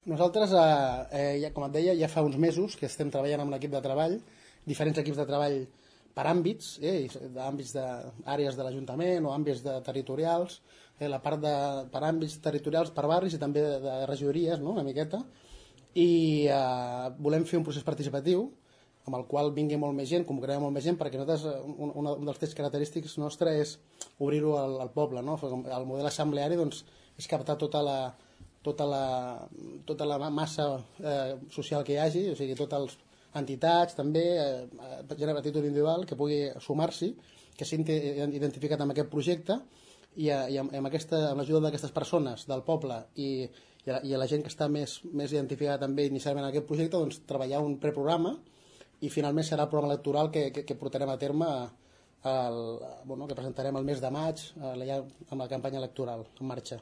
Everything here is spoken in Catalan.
Nosaltres, com et deia, ja fa uns mesos que estem treballant amb l'equip de treball, diferents equips de treball per àmbits, àmbits d'àrees de l'Ajuntament o àmbits territorials, la part per àmbits territorials, per barris i també de regidories, no? Una miqueta, i volem fer un procés participatiu amb el qual vingui molt més gent, convocarem molt més gent, perquè nosaltres, un dels trets característics nostre és obrir-ho al poble, no? El model assembleari doncs, és captar tota la massa social que hi hagi, o sigui, totes les entitats també, gent a títol individual que pugui sumar-s'hi, que s'hagi identificat amb aquest projecte i amb l'ajuda d'aquestes persones del poble i a la gent que està més identificada també inicialment en aquest projecte, doncs treballar un preprograma i finalment serà el programa electoral que portarem a terme que presentarem el mes de maig amb la campanya electoral en marxa.